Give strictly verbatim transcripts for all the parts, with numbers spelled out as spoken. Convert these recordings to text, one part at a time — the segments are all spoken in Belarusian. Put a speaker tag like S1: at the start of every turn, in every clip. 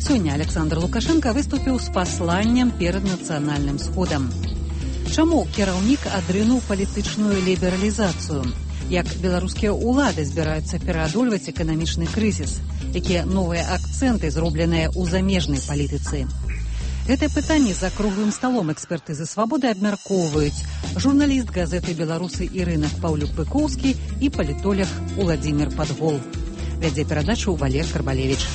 S1: Сёння Александр Лукашенко выступіў з пасланнем перад нацыянальным сходам. Чаму кіраўнік адрынуў палітычную лібералізацыю? Як беларускія ўлады збіраюцца пераадольваць эканамічны крызіс? Якія новыя акцэнты зробленыя ў замежнай палітыцы? Гэтае пытанне за круглым сталом эксперты за свабоды абмяркоўваюць журналіст газеты «Беларусы» Ірына Паўлюк-Пыкоўскі і палітолог Уладзімір Падгол. Вядзе перадачу Валер Карбалевіч.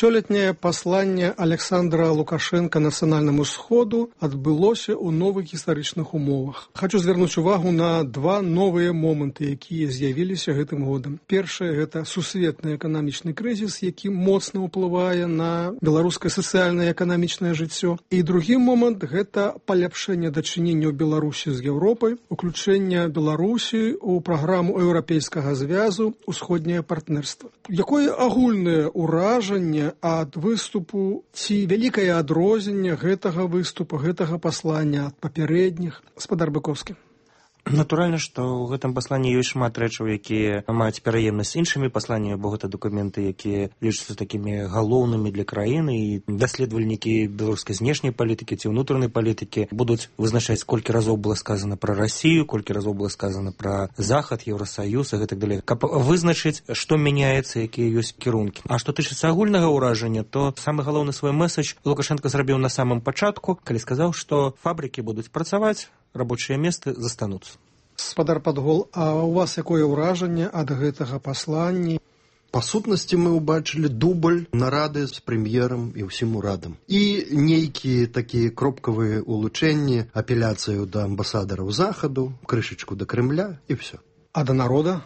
S2: Сёлетняе пасланне Александра Лукашенка нацыянальнаму сходу адбылося ў новых гістарычных умовах. Хачу звярнуць увагу на два новыя моманты, якія з'явіліся гэтым годам. Першае – гэта сусветны эканамічны крызіс, які моцна ўплывае на беларускае сацыяльнае і эканамічнае жыццё. І другі момант – гэта паляпшэнне дачыненняў Беларусі з Еўропай, уключэнне Беларусі ў праграму еўрапейскага звязу «Усходняе партнерства». Якое агульнае ўражанне ад выступу ці вялікае адрозненне гэтага выступу, гэтага паслання ад папярэдніх? Гаспадар Быкоўскі.
S3: Натуральна, што ў гэтым пасланні ёсць шмат рэчаў, якія маюць пераемнасць з іншымі пасланнямі, бо гэта дакументы, якія лічацца такімі галоўнымі для краіны, і даследавальнікі беларускай знешняй палітыкі ці ўнутранай палітыкі будуць вызначаць, колькі разоў было сказана пра Расію, колькі разоў было сказана пра Захад, Еўрасаюз і гэтак далей, каб вызначыць, што мяняецца, якія ёсць кірункі. А што тычыцца агульнага ўражання, то самы галоўны свой мэсадж Лукашенко зрабіў на самым пачатку, калі сказаў, што фабрыкі будуць працаваць, рабочыя месцы застануцца.
S2: Гаспадар Падгол, а у вас якое ўражанне ад гэтага паслання?
S4: Па сутнасці мы ўбачылі дубль нарады з прэм'ерам і ўсім урадам. І нейкія такія кропкавыя улучэнні, апеляцыю да амбасадараў Захаду, крышачку да Крэмля і ўсё.
S2: А да народа?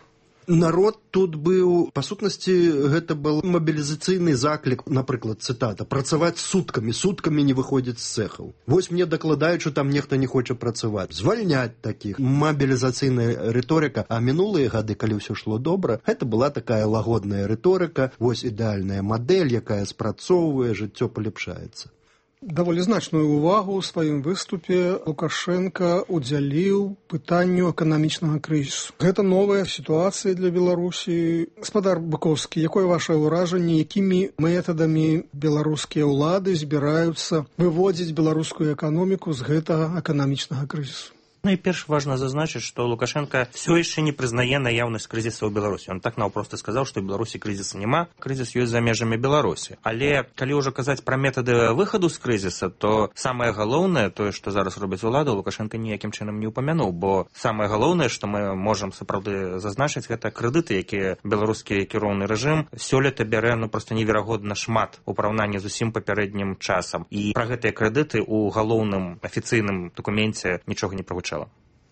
S4: Народ тут быў, па сутнасці, гэта был мабілізацыйны заклік, напрыклад, цытата, працаваць суткамі, суткамі не выходзіць з цэхаў. Вось мне дакладаюць, што там нехта не хоча працаваць. Звальняць такіх. Мабілізацыйная рыторыка. А мінулыя гады, калі ўсё шло добра, гэта была такая лагодная рыторыка, вось ідэальная мадэль, якая спрацоўвае, жыццё паляпшаецца.
S2: Даволі значную ўвагу ў сваім выступе Лукашенка удзяліў пытанню эканамічнага крызісу. Гэта новая сітуацыя для Беларусі. Гаспадар Быкоўскі, якое вашае ўражанне, якімі метадамі беларускія ўлады збіраюцца выводзіць беларускую эканоміку з гэтага эканамічнага крызісу?
S3: Найперш важна зазначыць, што Лукашенко все яшчэ не прызнае наяўнасць крызіса ў Беларусі. Он так наўпроста сказаў, што ў Беларусі крызіса няма, крызіс ёсць за межамі Беларусі. Але калі ўжо казаць пра метады выхаду з крызіса, то самае галоўнае, тое, што зараз робіць улада, Лукашенко ніякім чынам не ўпамянуў, бо самае галоўнае, што мы можам сапраўды зазначыць, гэта крэдыты, якія беларускі кіроўны рэжым сёлета бярэ ну проста неверагодна шмат у параўнанні з усім папярэднім часам. І пра гэтыя крэдыты ў галоўным афіцыйным дакуменце нічога не прагучала.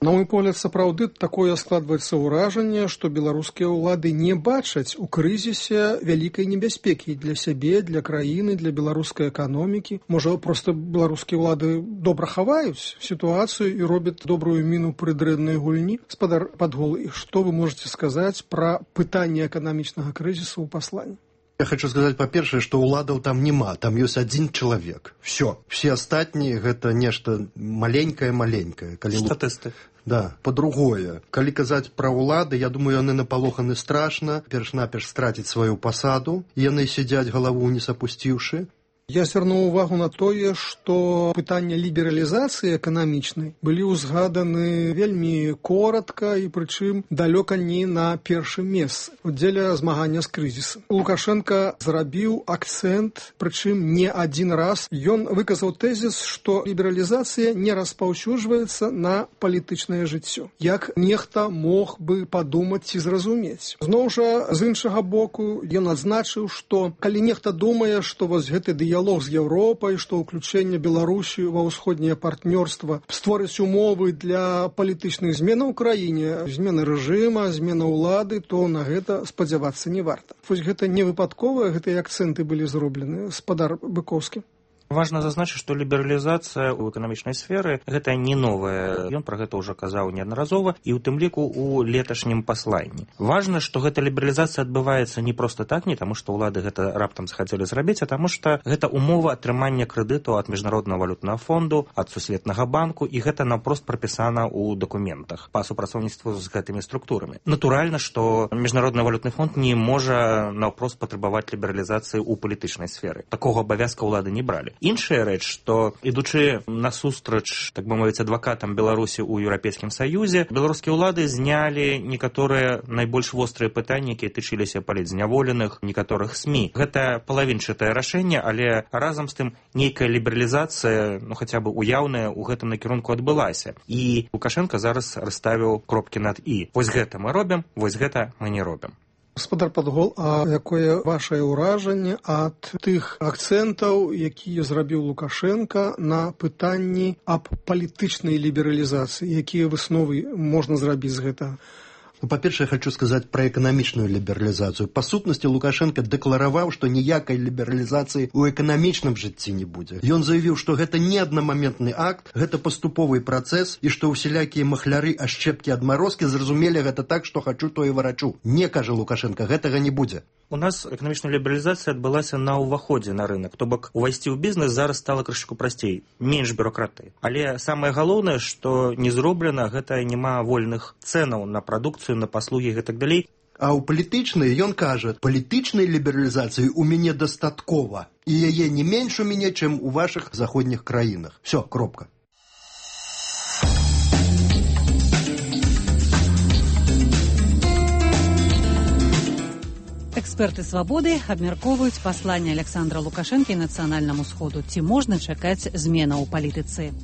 S2: На мой погляд, сапраўды такое складваецца ўражанне, што беларускія ўлады не бачаць у крызісе вялікай небяспекі для сябе, для краіны, для беларускай эканомікі. Можа, проста беларускія ўлады добра хаваюць сітуацыю і робяць добрую міну пры дрэннай гульні. Гаспадар Падгол, і што вы можаце сказаць пра пытанне эканамічнага крызісу ў пасланні?
S4: Я хочу сказаць, па-першае, што ўладаў там няма, там ёсць адзін чалавек. Всё. Все астатнія гэта нешта маленькае-маленькае. Калі...
S3: Статысты.
S4: Да. Па-другое, калі казаць пра ўлады, я думаю, яны напалоханы страшна, перш-наперш страціць сваю пасаду, яны сядзяць галаву ўніз апусціўшы.
S2: Я звярнуў увагу на тое, што пытанне лібералізацыі эканамічнай былі ўзгаданы вельмі коратка і прычым далёка не на першым месцы дзеля змагання з крызісам. Лукашенка зрабіў акцэнт, прычым не адзін раз. Ён выказаў тэзіс, што лібералізацыя не распаўсюджваецца на палітычнае жыццё. Як нехта мог бы падумаць ці зразумець. Зноў жа, з іншага боку, ён адзначыў, што калі нехта думае, што вось гэты дыялог дыялог з Еўропай, што ўключэнне Беларусі ва ўсходняе партнёрства створыць умовы для палітычных зменаў у краіне, змены рэжыма, змена ўлады, то на гэта спадзявацца не варта. Вось гэта не выпадковыя, гэтыя акцэнты былі зроблены. Гаспадар Быкоўскі.
S3: Важна зазначыць, што лібералізацыя ў эканамічнай сферы гэта не новая. Ён пра гэта ўжо казаў неаднаразова і ў тым ліку ў леташнім пасланні. Важна, што гэта лібералізацыя адбываецца не проста так, не таму што ўлады гэта раптам захацелі зрабіць, а таму што гэта умова атрымання крэдыту ад міжнароднага валютнага фонду, ад сусветнага банку, і гэта наўпрост прапісана ў дакументах па супрацоўніцтву з гэтымі структурамі. Натуральна, што міжнародны валютны фонд не можа наўпрост патрабаваць лібералізацыі ў палітычнай сферы. Такога абавязка ўлады не бралі. Іншая рэч, што ідучы насустрач, так бы мовіць, адвакатам Беларусі ў Еўрапейскім Саюзе, беларускія ўлады знялі некаторыя найбольш вострыя пытанні, якія тычыліся палітзняволеных, некаторых СМІ. Гэта палавінчатае рашэнне, але разам з тым нейкая лібералізацыя, ну хаця бы уяўная, у гэтым накірунку адбылася. І Лукашенко зараз расставіў кропкі над «і». Вось гэта мы робім, вось гэта мы не робім.
S2: Гаспадар Падгол, а якое вашае ўражанне ад тых акцэнтаў, якія зрабіў Лукашенко на пытанні аб палітычнай лібералізацыі? Якія высновы можна зрабіць з гэтага?
S4: Ну, па-першае, я хочу сказаць пра эканамічную лібералізацыю. Па сутнасці, Лукашенко дэклараваў, што ніякай лібералізацыі ў эканамічным жыцці не будзе. Ён заявіў, што гэта не аднамаментны акт, гэта паступовы працэс, і што ўсялякія махляры, ашчэпкі, адмарозкі зразумелі гэта так, што хачу, то і варачу. Не, кажа Лукашенко, гэтага не будзе.
S3: У нас эканамічная лібералізацыя адбылася на ўваходзе на рынок. То бок, увайсці ў бізнес зараз стала крышку прасцей, менш бюракратыі. Але самае галоўнае, што не зроблена, гэта няма вольных цэнаў на прадукцыю, на паслугі і гэтак далей.
S4: А ў палітычнай ён кажа, палітычнай лібералізацыі ў мяне дастаткова, і яе не менш у мяне, чым у вашых заходніх краінах. Всё, кропка.
S1: Эксперты «Свабоды» абмяркоўваюць пасланне Александра Лукашэнкі нацыянальнаму сходу. Ці можна чакаць зменаў у палітыцы?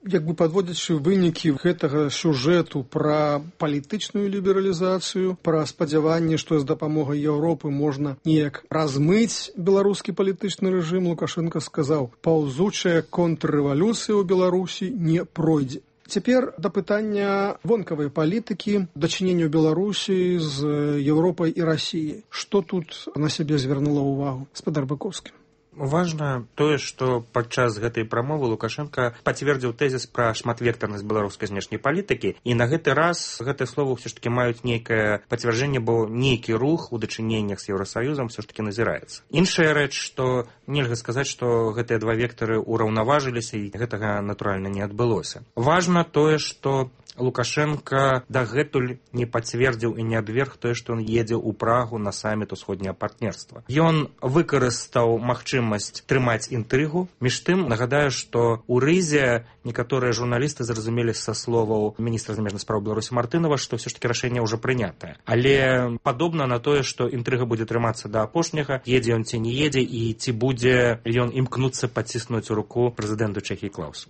S2: Як бы падводзячы вынікі гэтага сюжэту пра палітычную лібералізацыю, пра спадзяванне, што з дапамогай Еўропы можна неяк размыць беларускі палітычны рэжым, Лукашенко сказаў, паўзучая контррэвалюцыя ў Беларусі не пройдзе. Цяпер да пытання вонкавай палітыкі, дачынення Беларусі з Еўропай і Расіяй. Што тут на сябе звярнула ўвагу гаспадар Быкоўскі?
S3: Важна тое, што падчас гэтай прамовы Лукашенко пацвердзіў тэзіс пра шматвектарнасць беларускай знешняй палітыкі, і на гэты раз гэтыя словы ўсё ж такі маюць нейкае пацвярджэнне, бо нейкі рух у дачыненнях з Еўрасаюзам ўсё ж такі назіраецца. Іншая рэч, што нельга сказаць, што гэтыя два вектары ўраўнаважыліся, і гэтага, натуральна, не адбылося. Важна тое, што Лукашенко дагэтуль не пацвердзіў і не абверг тое, што ён едзе ў Прагу на саміт усходняга партнерства. Ён выкарыстаў магчымасць трымаць інтрыгу. Між тым, нагадаю, што ў Рызе некаторыя журналісты зразумелі са словаў міністра замежных спраў Беларусі Мартынова, што ўсё ж такі рашэнне ўжо прынятае. Але падобна на тое, што інтрыга будзе трымацца да апошняга, едзе ён ці не едзе, і ці будзе ён імкнуцца паціснуць руку прэзідэнту Чэхіі Клаусу.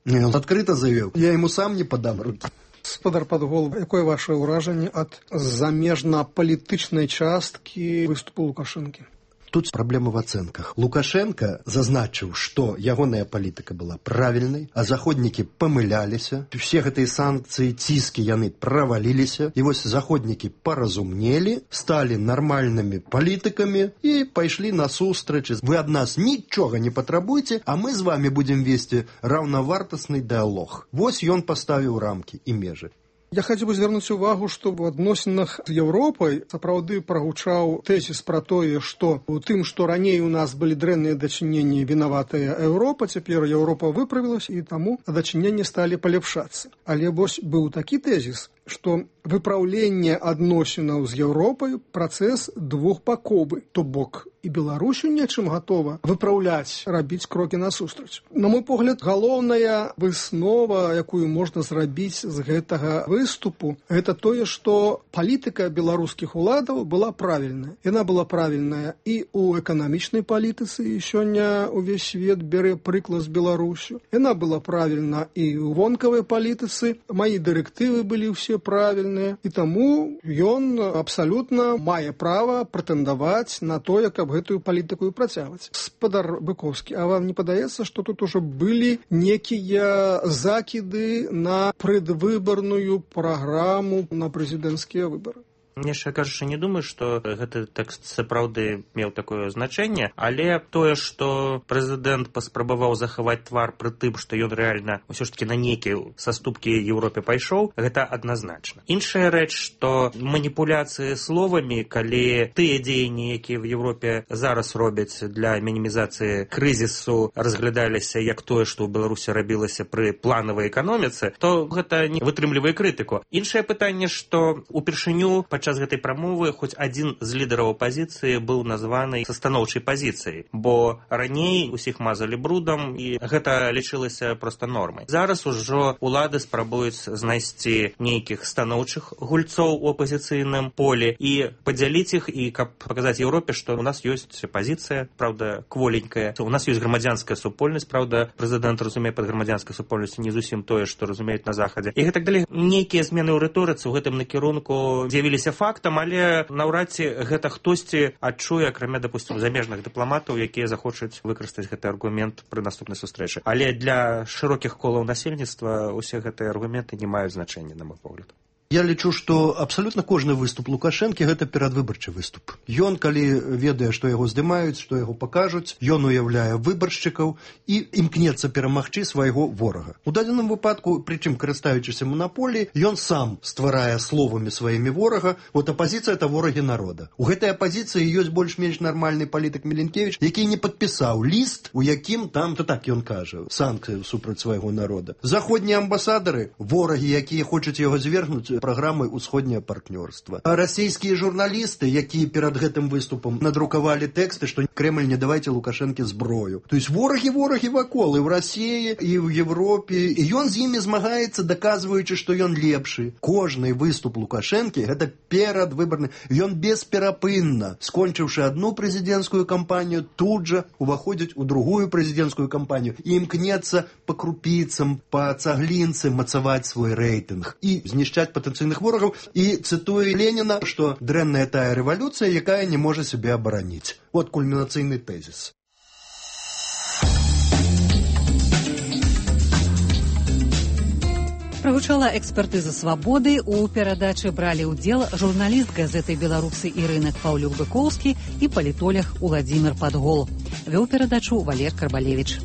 S4: Не, он адкрыта заявіў, я яму сам не падам рукі.
S2: Гаспадар Падгол, якое ваше ўражанне ад замежна-палітычнай часткі выступу Лукашэнкі?
S4: Тут праблема в ацэнках. Лукашенко зазначыў, што ягоная палітыка была правільнай, а заходнікі памыляліся. Усе гэтыя санкцыі, ціскі яны праваліліся. І вось заходнікі паразумнелі, сталі нармальнымі палітыкамі і пайшлі насустрач. Вы ад нас нічога не патрабуеце, а мы з вами будзем весці раўнавартасны дыалог. Вось ён паставіў рамкі і межы.
S2: Я хацеў бы звярнуць увагу, што ў адносінах з Еўропай сапраўды прагучаў тэзіс пра тое, што у тым, што раней у нас былі дрэнныя дачыненні, вінаватая Еўропа, цяпер Еўропа выправілася, і таму дачыненні сталі палепшацца. Але вось быў такі тэзіс, што выпраўленне адносінаў з Еўропай працэс двухбаковы, то бок і Беларусю нечым гатова выпраўляць, рабіць крокі насустрач. На мой погляд, галоўная выснова, якую можна зрабіць з гэтага выступу, гэта тое, што палітыка беларускіх уладаў была правільная. Яна была правільная і ў эканамічнай палітыцы, і сёння ўвесь свет бярэ прыклад з Беларусю. Яна была правільна і ў вонкавай палітыцы. Мае дырэктывы былі ўсе правільныя, і таму ён абсалютна мае права прэтэндаваць на тое, каб гэтую палітыку працягваць. Гаспадар Быкоўскі, а вам не падаецца, што тут ужо былі некія закіды на прадвыбарную праграму на прэзідэнцкія выбары?
S3: Яшчэ кажучы, не думаю, што гэты тэкст сапраўды меў такое значэнне, але тое, што прэзідэнт паспрабаваў захаваць твар пры тым, што ён рэальна ўсё ж такі на нейкія саступкі Еўропе пайшоў, гэта адназначна. Іншая рэч, што маніпуляцыі словамі, калі тыя дзеянні, якія в Еўропе зараз робяць для мінімізацыі крызісу, разглядаліся як тое, што ў Беларусі рабілася пры планавай эканоміцы, то гэта не вытрымлівае крытыку. Іншае пытанне, што упершыню падчас гэтай прамовы хоць адзін з лідараў апазіцыі быў названы са станоўчай пазіцыяй, бо раней усіх мазалі брудам, і гэта лічылася проста нормай. Зараз ужо улады спрабуюць знайсці нейкіх станоўчых гульцоў у апазіцыйным полі і падзяліць іх, і каб паказаць Еўропе, што у нас ёсць пазіцыя, праўда, кволенькая. У нас ёсць грамадзянская супольнасць, праўда, прэзідэнт разумее пад грамадзянскай супольнасцю не зусім тое, што разумеюць на захадзе. І гэтак далей. Нейкія змены ў рыторыцы ў гэтым накірунку з'явіліся фактам, але наўрад ці гэта хтосьці адчуе, акрамя, допустим, замежных дыпламатаў, якія захочуць выкарыстаць гэты аргумент пры наступнай сустрэчы. Але для шырокіх колаў насельніцтва усе гэтыя аргументы не маюць значэння, на мой погляд.
S4: Я лічу, што абсалютна кожны выступ Лукашэнкі гэта перадвыбарчы выступ. Ён, калі ведае, што яго здымаюць, што яго пакажуць, ён уяўляе выбаршчыкаў і імкнецца перамагчы свайго ворага. У дадзеным выпадку, прычым карыстаючыся манаполіяй, ён сам стварае словамі сваімі ворага. Вот апазіцыя — это ворагі народа. У гэтай апазіцыі ёсць больш-менш нармальны палітык Міленкевіч, які не падпісаў ліст, у якім там, то так ён кажа, санкцыі супраць свайго народа. Заходнія амбасадары — ворагі, якія хочуць яго звергнуць праграмай «Усходняе партнёрства». А расійскія журналісты, якія перад гэтым выступам надрукавалі тэксты, што Кремль не давайце Лукашэнке зброю. То есть ворагі-ворагі вакол і ў Расіі, і ў Европе. І ён з імі змагаецца, даказваючы, што ён лепшы. Кожны выступ Лукашэнкі — гэта перадвыбарны. Ён бесперапынна, скончыўшы адну прэзідэнцкую кампанію, тут жа уваходзіць у другую прэзідэнцкую кампанію і імкнецца па крупіцам, па цаглінцы мацаваць свой рэйтынг і знішчаць патэнцыйных ворагаў. І цытуе Леніна, што дрэнная тая рэвалюцыя, якая не можа сябе абараніць. Вот кульмінацыйны тэзіс.
S1: Прагучала экспертыза «Свабоды». У перадачы бралі ўдзел журналіст газеты «Беларусы» Ірына Паўлюк-Быкоўскі і палітолог Уладзімір Падгол. Вёў перадачу Валер Карбалевіч.